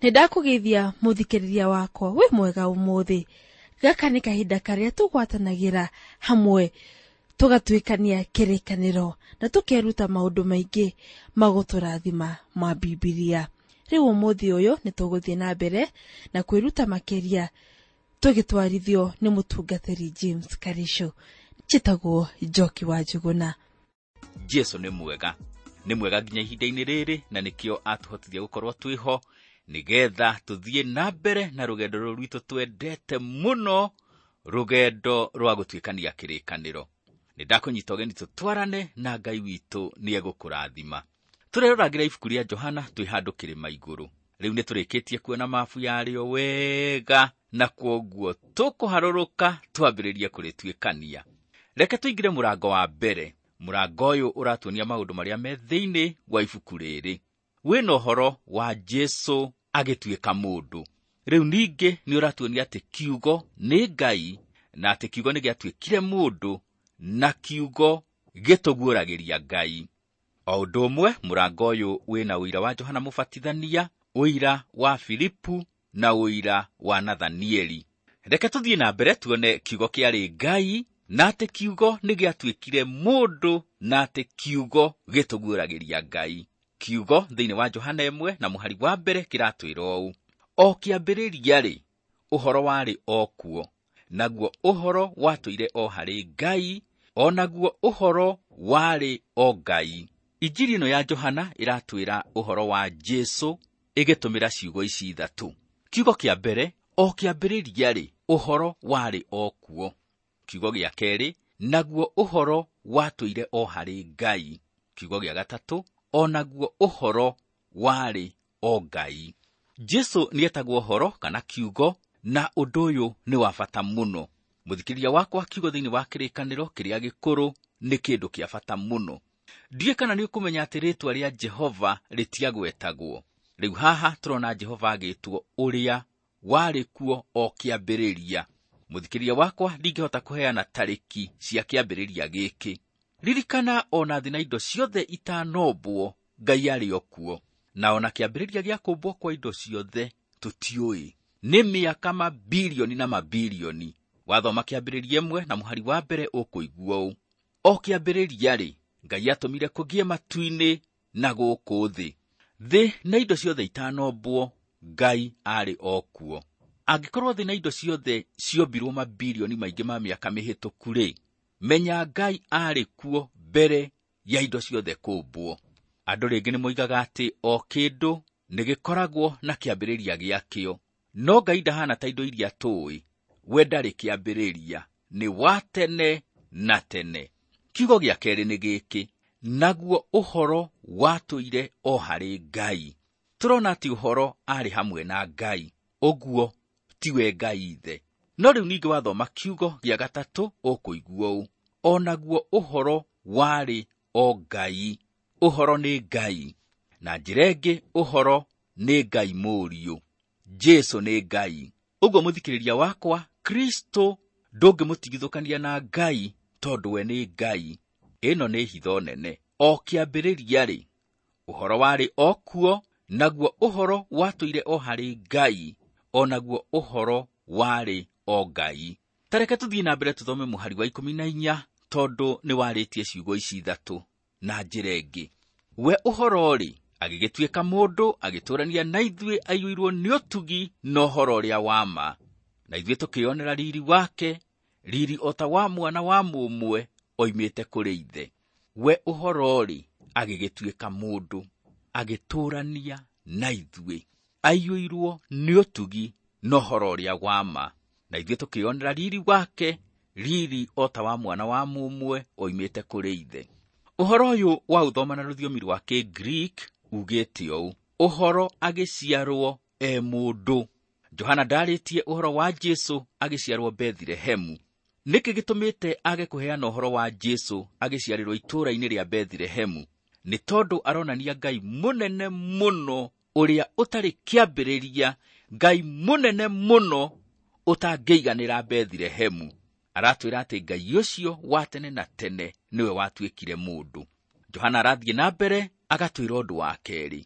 Nĩ ndakũgeithia mũthikĩrĩria wakwa wĩ mwega ũmũthĩ. Gaka nĩ kahinda karĩa tũgwatanagĩra hamwe tũgatuĩkania kĩrĩkanĩro na tũkeruta maũndũ maingĩ ma gũtũrathima ma Bibilia. Rĩu ũmũthĩ ũyũ nĩ tũgũthiĩ na mbere na kwĩruta makĩria tũgĩtwarithio nĩ mũtungatĩri James Karisho. Njĩtagwo Njoki wa Njũgũna. Jesu nĩ mwega, nĩ mwega nginya ihinda-inĩ rĩrĩ, na nĩkĩo atũhotithia gũkorwo twĩho nĩgetha tũthiĩ na mbere na rũgendo rũrũ rwitũ twendete mũno, rũgendo rwa gũtuĩkania kĩrĩkanĩro. Nĩ ndakũnyita ũgeni tũtwarane na Ngai witũ nĩ egũkũrathima. Tũreroragĩra ibuku rĩa Johana twĩ handũ kĩrĩma igũrũ. Rĩu nĩ tũrĩkĩtie kuona mabu yarĩo wega, na kwoguo tũkũharũrũka twambĩrĩrie kũrĩtuĩkania. Reke tũingĩre mũrango wa mbere. Mũrango ũyũ ũratuonia maũndũ marĩa me thĩinĩ wa ibuku rĩrĩ. Wĩna ũhoro wa Jesu agĩtuĩka mũndũ. Rĩu ningĩ nĩ ũratuonia atĩ kiugo nĩ Ngai, na atĩ kiugo nĩ gĩatuĩkire mũndũ, na kiugo gĩtũguũragĩria Ngai. O ũndũ ũmwe, mũrango ũyũ wĩna ũira wa Johana Mũbatithania, ũira wa Filipu na ũira wa Nathanieli. Reke tũthiĩ na mbere tuone kiugo kĩarĩ Ngai, na atĩ kiugo nĩ gĩatuĩkire mũndũ, na atĩ kiugo gĩtũguũragĩria Ngai. Kiugo thĩinĩ wa Johana 1 na mũhari wa mbere kĩratwĩra ũũ: o kĩambĩrĩria-rĩ, ũhoro warĩ o kuo, naguo ũhoro watũire o harĩ Ngai, o naguo ũhoro warĩ o Ngai. Injiri ĩno ya Johana ĩratwĩra ũhoro wa Jesu ĩgĩtũmĩra ciugo ici ithatũ. Kiugo kĩa mbere, o kĩambĩrĩria-rĩ, ũhoro warĩ o kuo. Kiugo gĩa kerĩ, naguo ũhoro watũire o harĩ Ngai. Kiugo gĩa gatatũ, o naguo ũhoro warĩ o Ngai. Jesu nĩetagwo ũhoro kana kiugo, na ũndũ ũyũ nĩ wa bata mũno. Mũthikĩrĩria wakwa, kiugo thĩinĩ wa kĩrĩkanĩro kĩrĩa gĩkũrũ nĩ kĩndũ kĩa bata mũno. Ndiũĩ kana nĩ ũkũmenya atĩ rĩĩtwa rĩa Jehova rĩtiagwetagwo. Rĩu haha tũrona Jehova agĩtwo ũrĩa warĩ kuo o kĩambĩrĩria. Mũthikĩrĩria wakwa, ndingĩhota kũheana tarĩki cia kĩambĩrĩria gĩkĩ. Ririkana ona thĩ na indo ciothe itanombwo, Ngai arĩ o kuo. Na ona kĩambĩrĩria gĩa kũmbwo kwa indo ciothe tũtiũĩ. Nĩ mĩaka mabilioni na mabilioni. Wathoma kĩambĩrĩria 1 na mũhari wa mbere ũkũigua ũũ: o kĩambĩrĩria-rĩ, Ngai atũmire kũgĩe matu-inĩ na gũkũ thĩ. Thĩ na indo ciothe itanombwo, Ngai arĩ o kuo. Angĩkorwo thĩ na indo ciothe ciombirwo mabilioni maingĩ ma mĩaka mĩhĩtũku-rĩ, menya Ngai arĩ kuo mbere ya indo ciothe kũmbwo. Andũ rĩngĩ nĩ moigaga atĩ o kĩndũ nĩ gĩkoragwo na kĩambĩrĩria gĩakĩo. No Ngai ndahana ta indo iria tũĩ. We ndarĩ kĩambĩrĩria, nĩ wa tene na tene. Kiugo gĩa kerĩ nĩ gĩkĩ: naguo ũhoro watũire o harĩ Ngai. Tũrona atĩ ũhoro arĩ hamwe na Ngai, ũguo tiwe Ngai ithe. No rĩu ningĩ wathoma kiugo gĩa gatatũ ũkũigua ũũ: o naguo ũhoro warĩ o Ngai. Ũhoro nĩ Ngai. Na njĩra ĩngĩ, ũhoro nĩ Ngai Mũriũ. Jesu nĩ Ngai. Ũguo mũthikĩrĩria wakwa, Kristo ndũngĩmũtigithũkania na Ngai tondũ we nĩ Ngai. Ĩno nĩ hitho nene. O kĩambĩrĩria-rĩ, ũhoro warĩ o kuo, naguo ũhoro watũire o harĩ Ngai, o naguo ũhoro warĩ o Ngai. Ta reke tũthiĩ na mbere tũthome mũhari wa 14, tondũ nĩ warĩtie ciugo ici ithatũ na njĩra ĩngĩ. We ũhoro-rĩ, agĩgĩtuĩka mũndũ, agĩtũũrania na ithuĩ, aiyũirwo nĩ ũtugi na ũhoro ũrĩa wa ma. Na ithuĩ tũkĩonera riri wake, riri o ta wa mwana wa mũmwe oimĩte kũrĩ ithe. We ũhoro-rĩ, agĩgĩtuĩka mũndũ, agĩtũũrania na ithuĩ, aiyũirwo nĩ ũtugi na ũhoro ũrĩa wa ma. Na ithuĩ tũkĩonera riri wake, riri o ta wa mwana wa mũmwe oimĩte kũrĩ ithe. Ũhoro ũyũ wa ũthoma na rũthiomi rwa Kĩgiriki ugĩte ũũ: ũhoro agĩciarwo e mũndũ. Johana ndarĩtie ũhoro wa Jesu agĩciarwo Bethilehemu. Nĩkĩ gĩtũmĩte age kũheana ũhoro wa Jesu agĩciarĩrwo itũũra-inĩ rĩa Bethilehemu? Nĩ tondũ aronania Ngai mũnene mũno ũrĩa ũtarĩ kĩambĩrĩria, Ngai mũnene mũno ũtangĩiganĩra Bethilehemu. Aratwĩra atĩ Ngai ũcio wa tene na tene nĩwe watuĩkire mũndũ. Johana arathiĩ na mbere agatwĩra ũndũ wa kerĩ.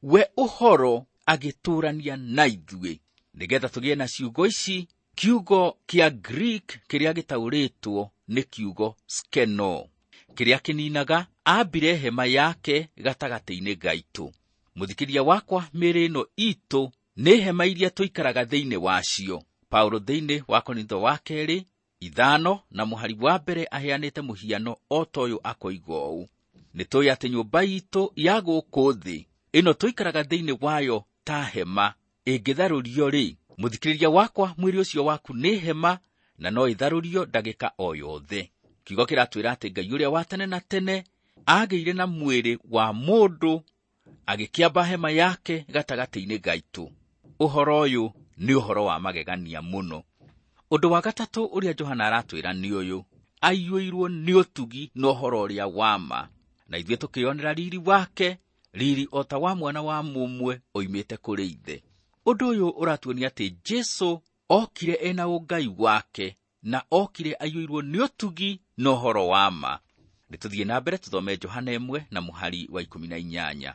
We ũhoro agĩtũũrania na ithuĩ. Nĩgetha tũgĩe na ciugo ici, kiugo kĩa Greek kĩrĩa gĩtaũrĩtwo nĩ kiugo skeno, kĩrĩa kĩninaga ambire hema yake gatagatĩ-inĩ gaitũ. Mũthikĩria wakwa, mĩĩrĩ ĩno itũ nĩ hema iria tũikaraga thĩinĩ wacio. Paulo thĩinĩ wa Korintho wa kerĩ 5 na mũhari wa mbere aheanĩte mũhiano o ta ũyũ akoiga ũũ: nĩ tũĩ atĩ nyũmba itũ ya gũkũ thĩ ĩno tũikaraga thĩinĩ wayo ta hema ĩngĩtharũrio-rĩ, mũthikĩrĩria wakwa, mwĩrĩ ũcio waku nĩ hema na no ĩtharũrio ndagĩka o yothe. Kiugo kĩratwĩra atĩ Ngai ũrĩa wa tene na tene agĩire na mwĩrĩ wa mũndũ agĩkĩamba hema yake gatagatĩ-inĩ gaitũ. Ũhoro ũyũ nĩ ũhoro wa magegania mũno. Ũndũ wa gatatũ ũrĩa Johana aratwĩra nĩ ũyũ: aiyũirwo nĩ ũtugi na ũhoro ũrĩa wa ma, na ithuĩ tũkĩonera riri wake, riri o ta wa mwana wa mũmwe oimĩte kũrĩ ithe. Ũndũ ũyũ ũratuonia atĩ Jesũ okire ena ũngai wake na okire aiyũirwo nĩ ũtugi na ũhoro wa ma. Nĩtũthiĩ na mbere tũthome Johana 1 na mũhari wa 18.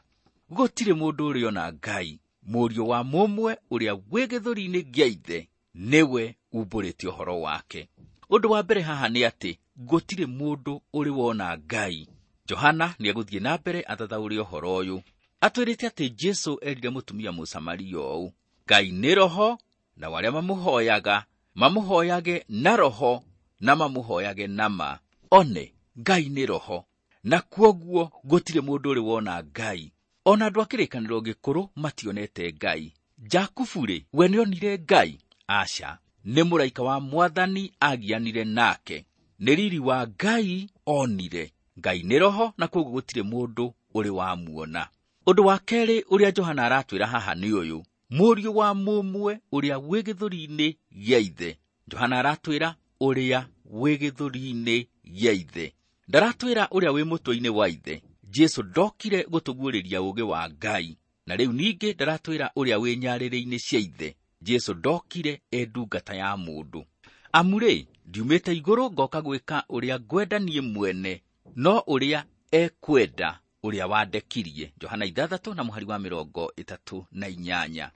Gũtirĩ mũndũ ũrĩ ona Ngai, mũriũ wa mũmwe ũrĩa wĩ gĩthũri-inĩ gĩa ithe nĩwe umbũrĩte ũhoro wake. Ũndũ wa mbere haha nĩ atĩ gũtirĩ mũndũ ũrĩ wona Ngai. Johana nĩegũthiĩ na mbere athathaũre ũhoro ũyũ. Atwĩrĩte atĩ Jesũ erire mũtumia Mũsamaria ũũ: Ngai nĩ roho, na arĩa mamũhoyaga mamũhoyage na roho na mamũhoyage na ma. One, Ngai nĩ roho, na kwoguo gũtirĩ mũndũ ũrĩ wona Ngai. Ona andũ a kĩrĩkanĩro gĩkũrũ mationete Ngai. Jakubu-rĩ, we nĩonire Ngai? Aca, nĩ mũraika wa Mwathani agianire nake. Nĩ riri wa Ngai onire. Ngai nĩ roho, na kwoguo gũtirĩ mũndũ ũrĩ wamuona. Ũndũ wa kerĩ ũrĩa Johana aratwĩra haha nĩ ũyũ: mũriũ wa mũmwe ũrĩa wĩ gĩthũri-inĩ gĩa ithe. Johana aratwĩra ũrĩa wĩ gĩthũri-inĩ gĩa ithe, ndaratwĩra ũrĩa wĩ mũtwe-inĩ wa ithe. Jesũ ndokire gũtũguũrĩria ũũgĩ wa Ngai, na rĩu ningĩ ndaratwĩra ũrĩa wĩ nyarĩrĩ-inĩ cia ithe. Jesũ ndokire e ndungata ya mũndũ. Amu-rĩ, ndiumĩte igũrũ ngoka gwĩka ũrĩa ngwenda niĩ mwene, no ũrĩa ekwenda ũrĩa wandekirie. Johana 6 na mũhari wa 38.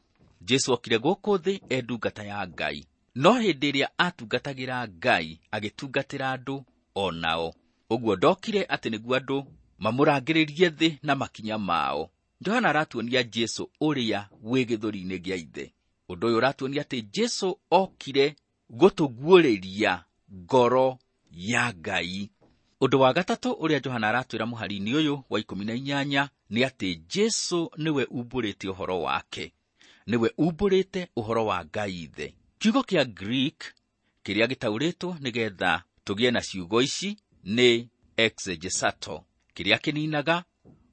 Jesũ okire gũkũ thĩ e ndungata ya Ngai, no hĩndĩ ĩrĩa atungatagĩra Ngai agĩtungatĩra andũ o nao. Ũguo ndokire atĩ nĩguo andũ mamũrangĩrĩrie thĩ na makinya mao. Johana aratuonia Jesũ ũrĩa wĩ gĩthũri-inĩ gĩa ithe. Ũndũ ũyũ ũratuonia atĩ Jesũ okire gũtũguũrĩria ngoro ya Ngai. Ũndũ wa gatatũ ũrĩa Johana aratwĩra mũhari-inĩ ũyũ wa 18 nĩ atĩ Jesũ nĩwe umbũrĩte ũhoro wake, nĩwe umbũrĩte ũhoro wa Ngai ithe. Kiugo kĩa Greek kĩrĩa gĩtaũrĩtwo nĩgetha tũgĩe na ciugo ici nĩ exegesato, kĩrĩa kĩninaga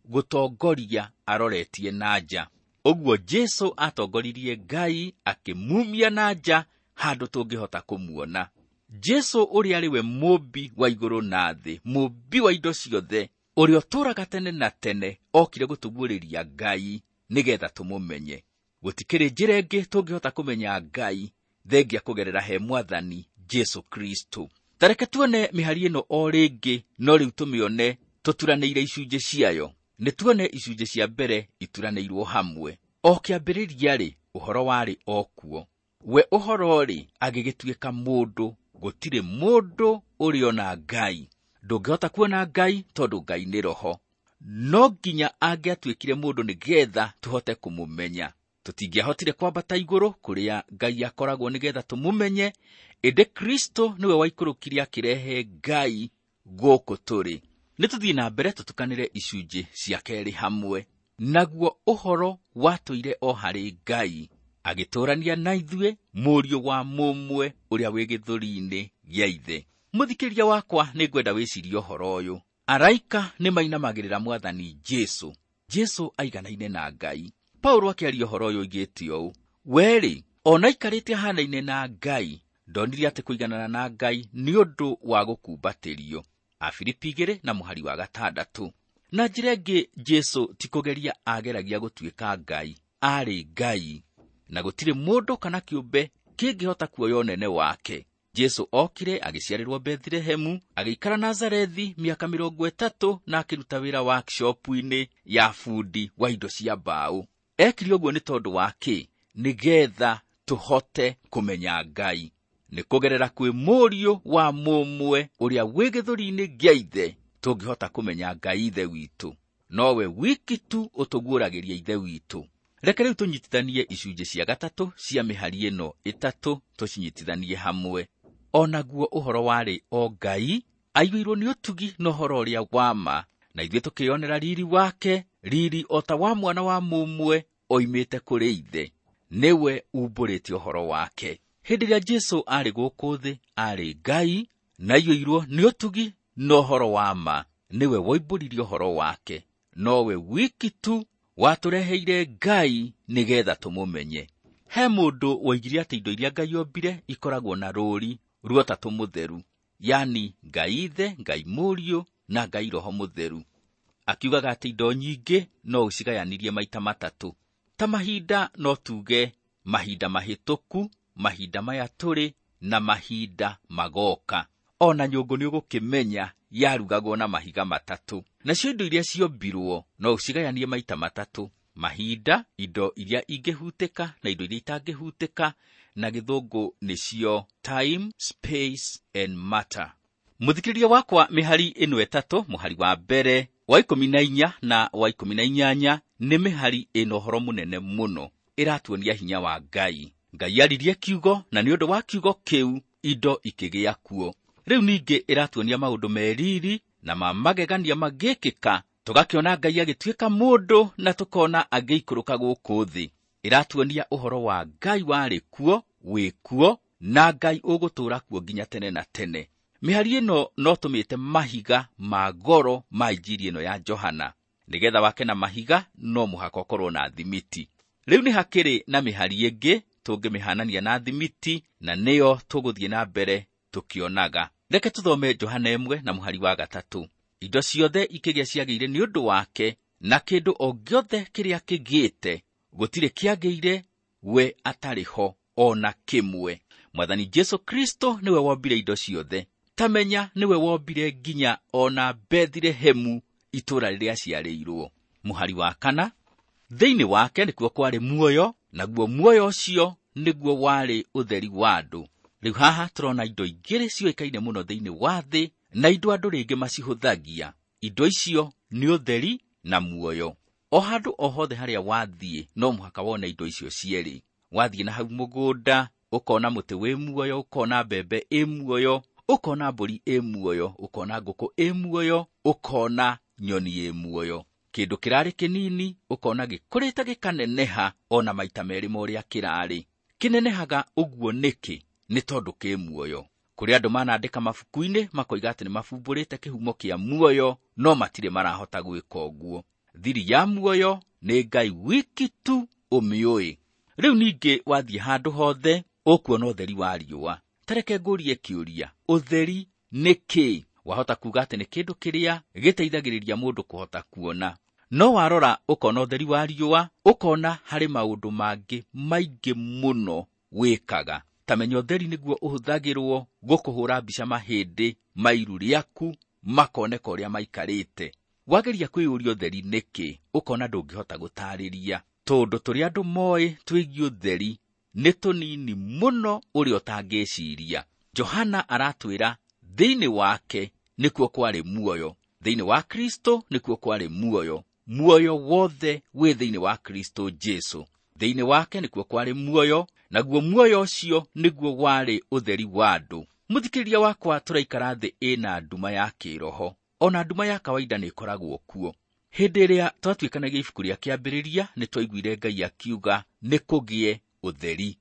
gũtongoria aroretie na nja. Ũguo Jesũ atongoririe Ngai akĩmumia na nja handũ tũngĩhota kũmuona. Jesũ ũrĩa arĩ we mũmbi wa igũrũ na thĩ, mũmbi wa indo ciothe, ũrĩa ũtũũraga tene na tene, okire gũtũguũrĩria Ngai nĩgetha tũmũmenye. Gũtikĩrĩ njĩra ĩngĩ tũngĩhota kũmenya Ngai thengia kũgerera he Mwathani Jesũ Kristo. Ta reke tuone mĩhari ĩno o rĩngĩ, no rĩu tũmĩone tũturanĩire icunjĩ ciayo. Nĩ tuone icunjĩ cia mbere ituranĩirwo hamwe. O kĩambĩrĩria-rĩ, ũhoro warĩ o kuo. We ũhoro-rĩ, agĩgĩtuĩka mũndũ. Gũtirĩ mũndũ ũrĩ ona Ngai. Ndũngĩhota kuona Ngai tondũ Ngai nĩ roho. No nginya angĩatuĩkire mũndũ nĩgetha tũhote kũmũmenya. Tũtingĩahotire kwambata igũrũ kũrĩa Ngai akoragwo nĩgetha tũmũmenye, ĩndĩ Kristo nĩwe waikũrũkire akĩrehe Ngai gũkũ tũrĩ. Nĩ tũthiĩ na mbere tũtukanĩre icunjĩ cia kerĩ hamwe. Naguo ũhoro watũire o harĩ Ngai, agĩtũũrania na ithuĩ, mũriũ wa mũmwe ũrĩa wĩ gĩthũri-inĩ gĩa ithe. Mũthikĩria wakwa, nĩ ngwenda wĩcirie ũhoro ũyũ. Araika nĩ mainamagĩrĩra Mwathani Jesũ. Jesũ aiganaine na Ngai. Paulo akĩaria ũhoro ũyũ oigĩte ũũ: we-rĩ, ona aikarĩte ahanaine na Ngai, ndonire atĩ kũiganana na Ngai nĩ ũndũ wa gũkumbatĩrio. Afilipi 2 na mũhari wa 6. Na njĩra ĩngĩ, Jesũ ti kũgeria ageragia gũtuĩka Ngai, arĩ Ngai, na gũtirĩ mũndũ kana kĩũmbe kĩngĩhota kuoya ũnene wake. Jesũ okire agĩciarĩrwo Bethlehemu, agĩikara Nazarethi mĩaka 30 na akĩruta wĩra workshop-inĩ ya bundi wa indo cia mbaũ. Ekire ũguo nĩ tondũ wa kĩ? Nĩgetha tũhote kũmenya Ngai. Nĩ kũgerera kwĩ Mũriũ wa mũmwe ũrĩa wĩ gĩthũri-inĩ gĩa Ithe tũngĩhota kũmenya Ngai Ithe witũ. Nowe wiki tu ũtũguũragĩria Ithe witũ. Reke rĩu tũnyitithanie icunjĩ cia gatatũ cia mĩhari ĩno ĩtatũ, tũcinyitithanie hamwe. O naguo ũhoro warĩ o Ngai, aiyũirwo nĩ ũtugi na ũhoro ũrĩa wa ma, na ithuĩ tũkĩyonera riri wake, riri o ta wa mwana wa mũmwe oimĩte kũrĩ Ithe. Nĩwe umbũrĩte ũhoro wake. Hĩndĩ ĩrĩa Jesũ aarĩ gũkũ thĩ, aarĩ Ngai, na aiyũirwo nĩ ũtugi na ũhoro wa ma. Nĩwe woimbũririe ũhoro wake. Nowe wiki tu watũreheire Ngai nĩgetha tũmũmenye. He mũndũ woigire atĩ indo iria Ngai ombire ikoragwo na rũũri rwa ũtatũ mũtheru, yani Ngai Ithe, Ngai Mũriũ na Ngai Roho Mũtheru. Akiugaga atĩ indo nyingĩ no ũcigayanirie maita matatũ. Ta mahinda no tuge mahinda mahĩtũku, mahinda maya tũrĩ na mahinda magoka. Ona nyũngũ nĩ ũgũkĩmenya yarugagwo na mahiga matatũ. Nacio indo iria ciombirwo no ũcigayanie maita matatũ: mahinda, indo iria ingĩhutĩka na indo iria itangĩhutĩka, na gĩthũngũ nĩcio time, space and matter. Mũthikĩrĩria wakwa, mĩhari ĩno ĩtatũ, mũhari wa mbere wa 14 na wa 18, nĩ mĩhari ĩna ũhoro mũnene mũno, ĩratuonia hinya wa Ngai. Ngai aririe kiugo, na nĩ ũndũ wa kiugo kĩu indo ikĩgĩa kuo. Rĩu ningĩ ĩratuonia maũndũ meriri na ma magegania magĩkĩka, tũgakĩona Ngai agĩtuĩka mũndũ na tũkona agĩikũrũka gũkũ thĩ. Ĩratuonia ũhoro wa Ngai warĩ kuo, wĩ kuo, na Ngai ũgũtũũra kuo nginya tene na tene. Mĩhari ĩno no tũmĩte mahiga ma goro ma injiri ĩno ya Johana. Nĩgetha wake na mahiga no mũhaka ũkorwo na thimiti. Rĩu nĩ hakĩrĩ na mĩhari ĩngĩ tũngĩmĩhanania na thimiti, na nĩyo tũgũthiĩ na mbere tũkĩonaga. Reke tũthome Johana 1 na mũhari wa 3. Indo ciothe ikĩgĩa ciagĩire nĩ ũndũ wake, na kĩndũ o gĩothe kĩrĩa kĩgĩte gũtirĩ kĩagĩire we atarĩ ho o na kĩmwe. Mwathani Jesũ Kristo nĩwe wombire indo ciothe. Ta menya nĩwe wombire nginya o na Bethilehemu, itũũra rĩrĩa aciarĩirwo. Mũhari wa 4, thĩinĩ wake nĩkuo kwarĩ muoyo, naguo muoyo ũcio nĩguo warĩ ũtheri wa andũ. Rĩu haha tũrona indo igĩrĩ ciũĩkaine mũno thĩinĩ wa thĩ, na indo andũ rĩngĩ macihũthagia. Indo icio nĩ ũtheri na muoyo. O handũ o hothe harĩa wathiĩ no mũhaka wone indo icio cierĩ. Wathiĩ na hau mũgũnda, ũkona mũtĩ wĩ muoyo, ũkona mbembe ĩ muoyo, ũkona mbũri ĩ muoyo, ũkona ngũkũ ĩ muoyo, ũkona nyoni ĩ muoyo. Kĩndũ kĩrarĩ kĩnini ũkona gĩkũrĩte gĩkaneneha ona maita merĩ ma ũrĩa kĩrarĩ. Kĩnenehaga ũguo nĩkĩ? Nĩ tondũ kĩ muoyo. Kũrĩ andũ manandĩka mabuku-inĩ makoiga atĩ nĩ mabumbũrĩte kĩhumo kĩa muoyo, no matirĩ marahota gwĩka ũguo. Thiri ya muoyo nĩ Ngai wiki tu ũmĩũĩ. Rĩu ningĩ wathiĩ handũ hothe ũkuona ũtheri wa riũa. Ta reke ngũrie kĩũria, ũtheri nĩ kĩ? Wahota kuuga atĩ nĩ kĩndũ kĩrĩa gĩteithagĩrĩria mũndũ kũhota kuona. No warora ũkona ũtheri wa riũa, ũkona harĩ maũndũ mangĩ maingĩ mũno wĩkaga. Ta menya ũtheri nĩguo ũhũthagĩrwo gũkũhũra mbica mahĩndĩ ma iru rĩaku makoneka ũrĩa maikarĩte. Wageria kwĩyũria ũtheri nĩkĩ, ũkona ndũngĩhota gũtarĩria, tondũ tũrĩa andũ moĩ twĩgiĩ ũtheri nĩ tũnini mũno ũrĩa ũtangĩciria. Johana aratwĩra thĩinĩ wake nĩkuo kwarĩ muoyo, thĩinĩ wa Kristo nĩkuo kwarĩ muoyo, muoyo wothe wĩ thĩinĩ wa Kristo Jesũ. Thĩinĩ wake nĩkuo kwarĩ muoyo, naguo muoyo ũcio nĩguo warĩ ũtheri wa andũ. Mũthikĩrĩria wakwa, tũraikara thĩ ĩna nduma ya kĩroho. Ona nduma ya kawaida nĩ ĩkoragwo kuo. Hĩndĩ ĩrĩa twatuĩkanagia ibuku rĩa Kĩambĩrĩria, nĩ twaiguire Ngai akiuga nĩ kũgĩe ũtheri.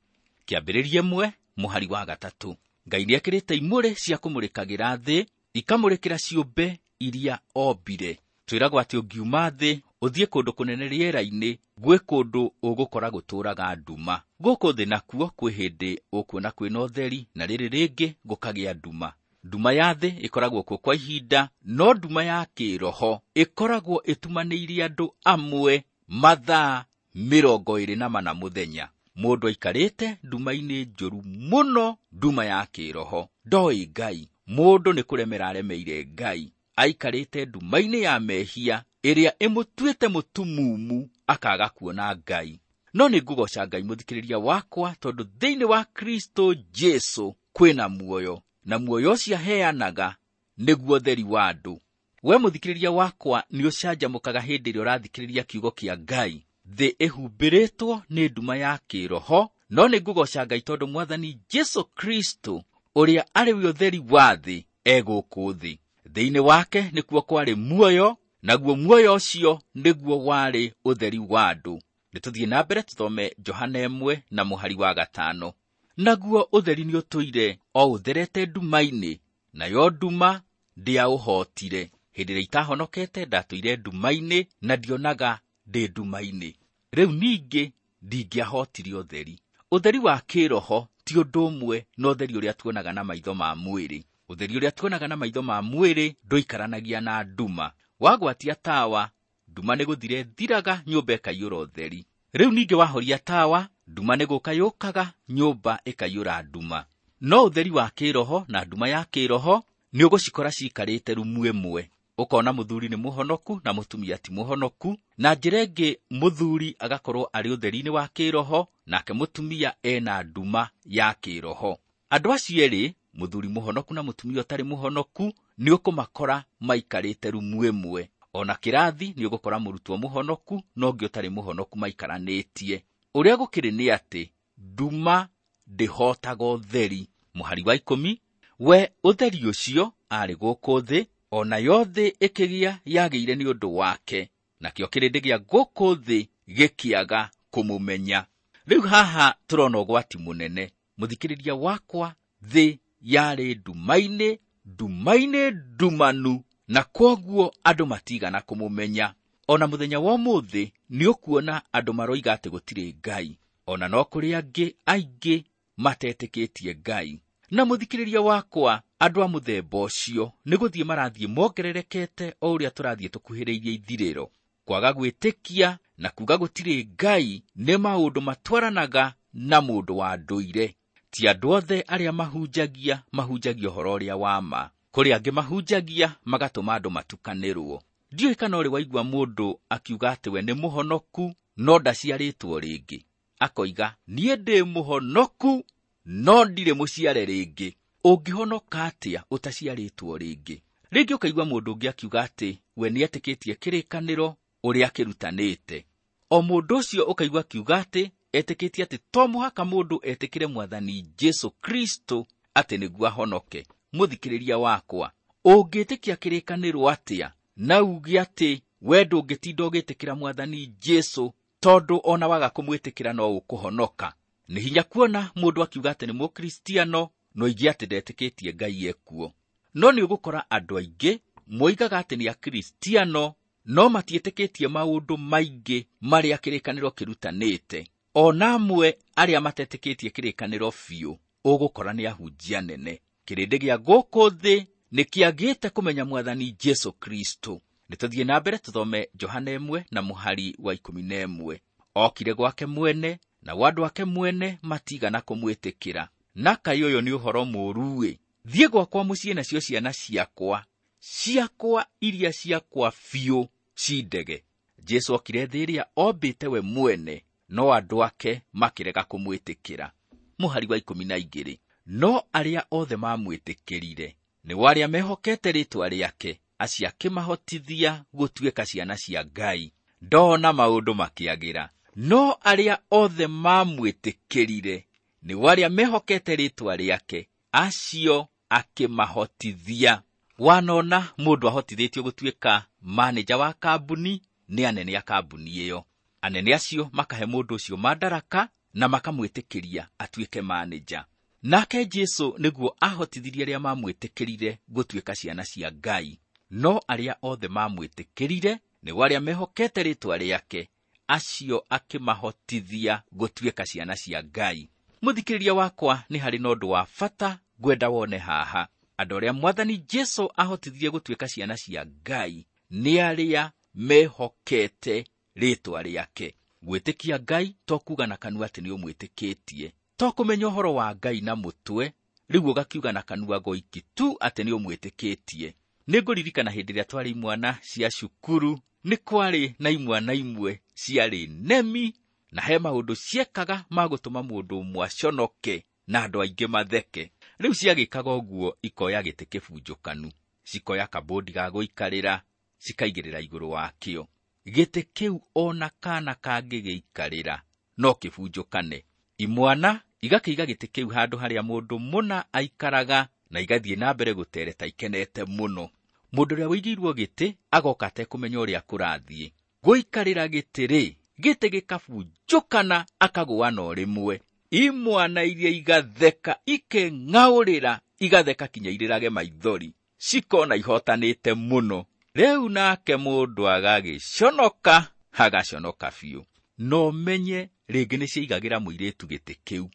Kĩambĩrĩria 1 mũhari wa 3. Ngai nĩekĩrĩte imũrĩ cia kũmũrĩkagĩra thĩ, ikamũrĩkĩra ciũmbe iria ombire. Twĩragwo atĩ ũngiuma thĩ ũthiĩ kũndũ kũnene rĩera-inĩ, gwĩ kũndũ ũgũkora gũtũũraga nduma. Gũkũ thĩ nakuo kwĩ hĩndĩ ũkuona kwĩna ũtheri, na rĩrĩ rĩngĩ gũkagĩa nduma. Nduma ya thĩ ĩkoragwo kuo kwa ihinda, no nduma ya kĩroho ĩkoragwo ĩtumanĩire andũ amwe mathaa 24 mũthenya. Mũndũ aikarĩte nduma-inĩ njũru mũno, nduma ya kĩroho. Ndoĩ Ngai. Mũndũ nĩ kũremera aremeire Ngai. Aikarĩte nduma-inĩ ya mehia, ĩrĩa ĩmũtuĩte mũtumumu akaga kuona Ngai. No nĩ ngũgoca Ngai mũthikĩrĩria wakwa, tondũ thĩinĩ wa Kristo Jesu kwĩna muoyo, na muoyo ũcio aheanaga nĩguo ũtheri wa andũ. We mũthikĩrĩria wakwa nĩ ũcanjamũkaga hĩndĩ ĩrĩa ũrathikĩrĩria kiugo kĩa Ngai. Thĩ ĩhumbĩrĩtwo nĩ nduma ya kĩroho, no nĩ ngũgoca Ngai tondũ Mwathani Jesu Kristo ũrĩa arĩ we ũtheri wa thĩ e gũkũ thĩ. Thĩinĩ wake nĩkuo kwarĩ muoyo, naguo muoyo ũcio nĩguo warĩ ũtheri wa andũ. Nĩtũthiĩ na mbere tũthome Johana 1 na mũhari wa 5. Naguo ũtheri nĩũtũire o ũtherete nduma-inĩ, nayo nduma ndĩaũhootire. Hĩndĩ ĩrĩa itahonokete ndatũire nduma-inĩ na ndionaga ndĩ nduma-inĩ. Rĩu ningĩ ndingĩahotire ũtheri. Ũtheri wa kĩroho ti ũndũ ũmwe na ũtheri ũrĩa tuonaga na maitho ma mwĩrĩ. Ũtheri ũrĩa tuonaga na maitho ma mwĩrĩ ndũikaranagia na nduma. Wagwatia tawa, nduma nĩ gũthira ĩthiraga, nyũmba ĩkaiyũra ũtheri. Rĩu ningĩ wahoria tawa, nduma nĩ gũka yũkaga, nyũmba ĩkaiyũra nduma. No ũtheri wa kĩroho na nduma ya kĩroho nĩ ũgũcikora ciikarĩte rumu ĩmwe. Ũkona mũthuri nĩ mũhonoku na mũtumia ti mũhonoku, na njĩra ĩngĩ mũthuri agakorwo arĩ ũtheri-inĩ wa kĩroho nake mũtumia ena nduma ya kĩroho. Andũ acio erĩ, mũthuri mũhonoku na mũtumia ũtarĩ mũhonoku, nĩ ũkũmakora maikarĩte rumu ĩmwe. Ona kĩrathi nĩ ũgũkora mũrutwo mũhonoku na ũngĩ ũtarĩ mũhonoku maikaranĩtie. Ũrĩa gũkĩrĩ nĩ atĩ nduma ndĩhotaga ũtheri. Mũhari wa 10, we ũtheri ũcio arĩ gũkũ thĩ, onayo thĩ ĩkĩgĩa yagĩire nĩ ũndũ wake, nakĩo kĩrĩndĩ gĩa gũkũ thĩ gĩkĩaga kũmũmenya. Rĩu haha tũrona ũgwati mũnene. Mũthikĩrĩria wakwa, thĩ yarĩ ndumainĩ, ndumainĩ ndumanu, na kwoguo andũ matigana kũmũmenya. Ona mũthenya wa ũmũthĩ nĩ ũkuona andũ maroiga atĩ gũtirĩ Ngai, ona no kũrĩ angĩ aingĩ matetĩkĩtie Ngai. Na mũthikĩrĩria wakwa, andũ a mũthemba ũcio nĩ gũthiĩ marathiĩ mongererekete o ũrĩa tũrathiĩ tũkuhĩrĩirie ithirĩro. Kwaga gwĩtĩkia na kuga gũtirĩ Ngai nĩ maũndũ matwaranaga na mũndũ wa ndũire. Ti andũ othe arĩa mahunjagia mahunjagia ũhoro ũrĩa wa ma. Kũrĩ angĩ mahunjagia magatũma andũ matukanĩrwo. Ndiũĩ kana ũrĩ waigua mũndũ akiuga atĩ we nĩ mũhonoku no ndaciarĩtwo rĩngĩ. Akoiga, niĩ ndĩ mũhonoku no ndirĩ mũciare rĩngĩ. Ũngĩhonoka atĩa ũtaciarĩtwo rĩngĩ? Rĩngĩ ũkaigua mũndũ ũngĩ akiuga atĩ we nĩetĩkĩtie kĩrĩkanĩro ũrĩa akĩrutanĩte. O mũndũ ũcio ũkaigua akiuga atĩ etĩkĩtie atĩ to mũhaka mũndũ etĩkĩre Mwathani Jesu Kristo atĩ nĩguo ahonoke. Mũthikĩrĩria wakwa, ũngĩtĩkia kĩrĩkanĩro atĩa na uge atĩ we ndũngĩtinda ũgĩtĩkĩra Mwathani Jesu tondũ ona waga kũmwĩtĩkĩra no ũkũhonoka? Nĩ hinya kuona mũndũ akiuga atĩ nĩ mũkristiano no oige atĩ ndetĩkĩtie Ngai ekuo. No nĩ ũgũkora andũ aingĩ moigaga atĩ nĩ akristiano no matiĩtĩkĩtie maũndũ maingĩ marĩa kĩrĩkanĩro kĩrutanĩte. Ona amwe arĩa matetĩkĩtie kĩrĩkanĩro biũ ũgũkora nĩ ahunjia nene. Kĩrĩndĩ gĩa gũkũ thĩ nĩ kĩagĩte kũmenya Mwathani Jesu Kristo. Nĩtũthiĩ na mbere tũthome Johana 1 na mũhari wa 11. Okire gwake mwene, nao andũ ake mwene matigana kũmwĩtĩkĩra. Na kaĩ ũyũ nĩ ũhoro mũũru-ĩ! Thiĩ gwakwa mũciĩ nacio ciana ciakwa, ciakwa iria ciakwa biũ cindege. Jesu okire thĩ ĩrĩa ombĩte we mwene, no andũ ake makĩrega kũmwĩtĩkĩra. Mũhari wa 12. No arĩa othe mamwĩtĩkĩrire, nĩo arĩa mehokete rĩĩtwa rĩake, acio akĩmahotithia gũtuĩka ciana cia Ngai. Ndona maũndũ makĩagĩra. No arĩa othe mamwĩtĩkĩrire, nĩo arĩa mehokete rĩĩtwa rĩake, acio akĩmahotithia. Wanona mũndũ ahotithĩtio gũtuĩka manĩja wa kambuni nĩ anene a kambuni ĩyo. Anene acio makahe mũndũ ũcio mandaraka na makamwĩtĩkĩria atuĩke manĩja. Nake Jesu nĩguo ahotithirie arĩa mamwĩtĩkĩrire gũtuĩka ciana cia Ngai. No arĩa othe mamwĩtĩkĩrire, nĩo arĩa mehokete rĩĩtwa rĩake, acio akĩmahotithia gũtuĩka ciana cia Ngai. Mũthikĩrĩria wakwa, nĩ harĩ na ũndũ wa bata ngwenda wone haha. Andũ arĩa Mwathani Jesu ahotithirie gũtuĩka ciana cia Ngai nĩ arĩa mehokete rĩĩtwa rĩake. Gwĩtĩkia Ngai to kuuga na kanua atĩ nĩ ũmwĩtĩkĩtie, to kũmenya ũhoro wa Ngai na mũtwe, rĩu ũgakiuga na kanua goiki tu atĩ nĩ ũmwĩtĩkĩtie. Nĩngũririkana hĩndĩ ĩrĩa twarĩ imwana cia cukuru, nĩ kwarĩ na imwana imwe ciarĩ nemi, na he maũndũ ciekaga ma gũtũma mũndũ ũmwe aconoke na andũ aingĩ matheke. Rĩu ciagĩkaga ũguo ikoya gĩtĩ kĩbunjũkanu, cikoya kabũndi ga gũikarĩra, cikaigĩrĩra igũrũ wakĩo. Gĩtĩ kĩu ona kana kangĩgĩikarĩra no kĩbunjũkane. Imwana igakĩiga gĩtĩ kĩu handũ harĩa mũndũ mũna aikaraga na igathiĩ na mbere gũtereta ikenete mũno. Mũndũ ũrĩa ũigĩirwo gĩtĩ agoka atekũmenya ũrĩa kũrathiĩ. Gũikarĩra gĩtĩ rĩ, gĩtĩ gĩkabunjũkana akagũa no rĩmwe. Imwana iria igatheka ikeng'aũrĩra, igatheka kinya irĩrage maithori, cikona ihotanĩte mũno. Rĩu nake mũndũ agagĩconoka, agaconoka biũ. No menye rĩngĩ nĩciaigagĩra mũirĩtu gĩtĩ kĩu.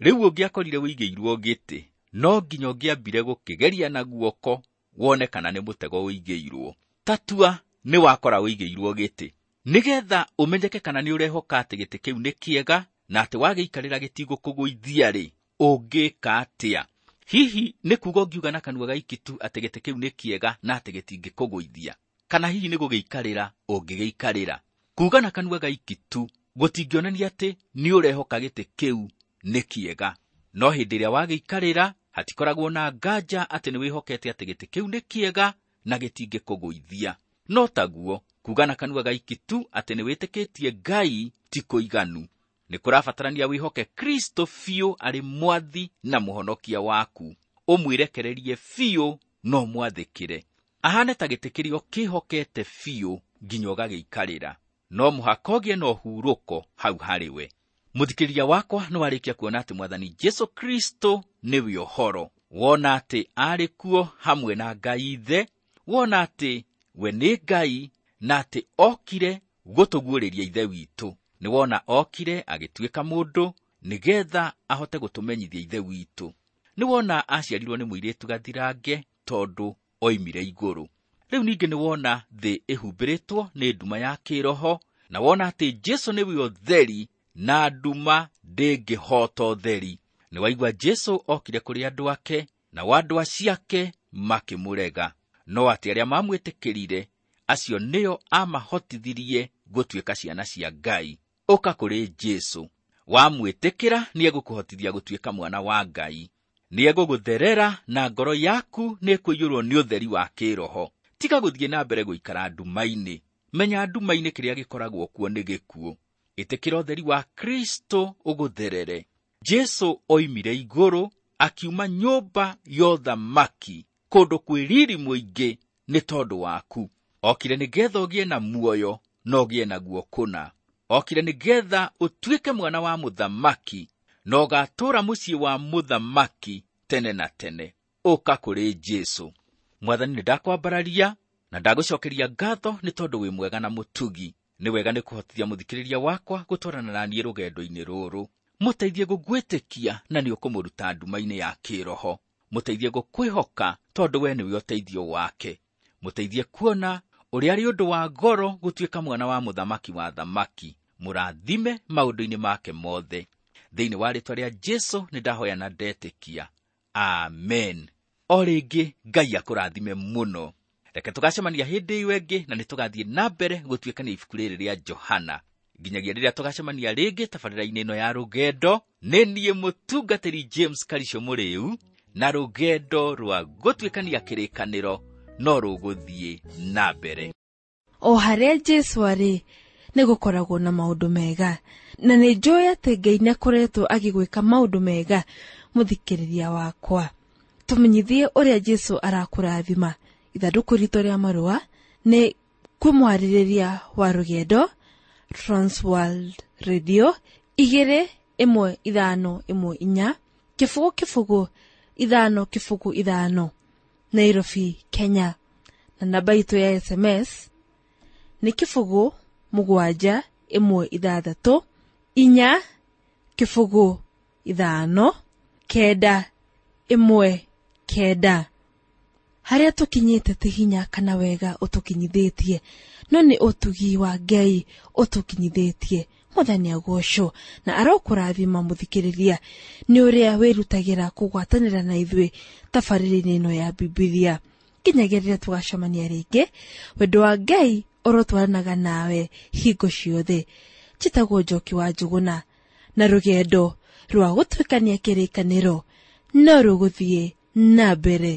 Rĩu ũngĩakorire ũigĩirwo gĩtĩ, no nginya ũngĩambire gũkĩgeria na guoko wone kana nĩ mũtego ũigĩirwo. Tatua nĩ wakora ũigĩirwo gĩtĩ, nĩgetha ũmenyeke kana nĩ ũrehoka atĩ gĩtĩ kĩu nĩ kĩega na atĩ wagĩikarĩra gĩtigũkũgũithia rĩ, ũngĩka atĩa? Hihi nĩ kuuga ũngiuga na kanua gaiki tu atĩ gĩtĩ kĩu nĩ kĩega na atĩ gĩtingĩkũgũithia? Kana hihi nĩ gũgĩikarĩra ũngĩgĩikarĩra? Kuuga na kanua gaiki tu gũtingĩonania atĩ nĩ ũrehoka gĩtĩ kĩu nĩ kĩega. No hĩndĩ ĩrĩa wagĩikarĩra hatikoragwo na nganja atĩ nĩ wĩhokete atĩ gĩtĩ kĩu nĩ kĩega na gĩtingĩkũgũithia. No taguo kuuga na kanua gaiki tu atĩ nĩ wĩtĩkĩtie Ngai ti kũiganu. Nĩ kũrabatarania wĩhoke Kristo biũ arĩ mwathi na mũhonokia waku, ũmwĩrekererie biũ na ũmwathĩkĩre. Ahane ta gĩtĩ kĩrĩa ũkĩhokete biũ nginya ũgagĩikarĩra. No mũhaka ũgĩe na ũhurũko hau harĩ we. Mũthikĩrĩria wakwa nĩ warĩkia kuona atĩ Mwathani Jesu Kristo nĩwe ũhoro. Wona atĩ arĩ kuo hamwe na Ngai Ithe, wona atĩ we nĩ Ngai na atĩ okire gũtũguũrĩria Ithe witũ. Nĩ wona okire agĩtuĩka mũndũ nĩgetha ahote gũtũmenyithia Ithe witũ. Nĩ wona aciarirwo nĩ mũirĩtu gathirange tondũ oimire igũrũ. Rĩu ningĩ nĩ wona thĩ ĩhumbĩrĩtwo nĩ nduma ya kĩroho, na wona atĩ Jesu nĩwe ũtheri na nduma ndĩngĩhota ũtheri. Nĩ waigua Jesu okire kũrĩ andũ ake, nao andũ aciake makĩmũrega. No atĩ arĩa mamwĩtĩkĩrire, acio nĩo amahotithirie gũtuĩka ciana cia Ngai. Ũka kũrĩ Jesu. Wamwĩtĩkĩra nĩegũkũhotithia gũtuĩka mwana wa Ngai. Nĩegũgũtherera na ngoro yaku nĩĩkũiyũrwo nĩ ũtheri wa kĩroho. Tiga gũthiĩ na mbere gũikara nduma-inĩ. Menya nduma-inĩ kĩrĩa gĩkoragwo kuo nĩ gĩkuũ. Ĩtĩkĩra ũtheri wa Kristo ũgũtherere. Jesu oimire igũrũ akiuma nyũmba ya ũthamaki kũndũ kwĩ riri mũingĩ nĩ tondũ waku. Okire nĩgetha ũgĩe na muoyo na ũgĩe naguo kũna. Okire nĩgetha ũtuĩke mwana wa mũthamaki na ũgatũũra mũciĩ wa mũthamaki tene na tene. Ũka kũrĩ Jesu. Mwathani, nĩ ndakwambararia na ndagũcokeria ngatho nĩ tondũ wĩ mwega na mũtugi. Nĩ wega nĩ kũhotithia mũthikĩrĩria wakwa gũtwarana na niĩ rũgendo-inĩ rũrũ. Mũteithie gũgwĩtĩkia na nĩ ũkũmũruta nduma-inĩ ya kĩroho. Mũteithie gũkwĩhoka tondũ we nĩwe ũteithio wake. Mũteithie kuona ũrĩa arĩ ũndũ wa goro gũtuĩka mwana wa mũthamaki wa thamaki. Mũrathime maũndũ-inĩ make mothe. Thĩinĩ wa rĩĩtwa rĩa Jesu nĩ ndahoya na ndetĩkia. Amen. O rĩngĩ Ngai akũrathime mũno. Reke tũgacemania hĩndĩ ĩyo ĩngĩ na nĩ tũgathiĩ na mbere gũtuĩkania ibuku rĩrĩ rĩa Johana. Nginyagia rĩrĩa tũgacemania rĩngĩ tabarĩra-inĩ ĩno ya rũgendo, nĩ niĩ mũtungatĩri James Karisho Mũrĩu, na rũgendo rwa gũtuĩkania kĩrĩkanĩro no rũgũthiĩ na mbere. O harĩa Jesu arĩ nĩ gũkoragwo na maũndũ mega, na nĩ njũĩ atĩ Ngai nĩakoretwo agĩgwĩka maũndũ mega. Mũthikĩrĩria wakwa, tũmenyithie ũrĩa Jesu arakũrathima. Ithandũkũ ritũ rĩa marũa nĩ kwĩ mwarĩrĩria wa rũgendo, Transworld Radio 21514 0 0 5 0 5, Nairobi, Kenya. Na namba itũ ya SMS nĩ 0 7 1 6 4 0 5 9 1 9. Harĩa tũkinyĩte ti hinya kana wega ũtũkinyithĩtie, no nĩ ũtugi wa Ngai ũtũkinyithĩtie. Mwathani agocwo na arokũrathima mũthikĩrĩria nĩ ũrĩa wĩrutagĩra kũgwatanĩra na ithuĩ tabarĩra-inĩ ĩno ya Bibilia. Nginyagia rĩrĩa tũgacemania rĩngĩ, wendo wa Ngai ũrotwaranaga nawe hingo ciothe. Njĩtagwo Njoki wa Njũgũna, na rũgendo rwa gũtuĩkania kĩrĩkanĩro no rũgũthiĩ na mbere.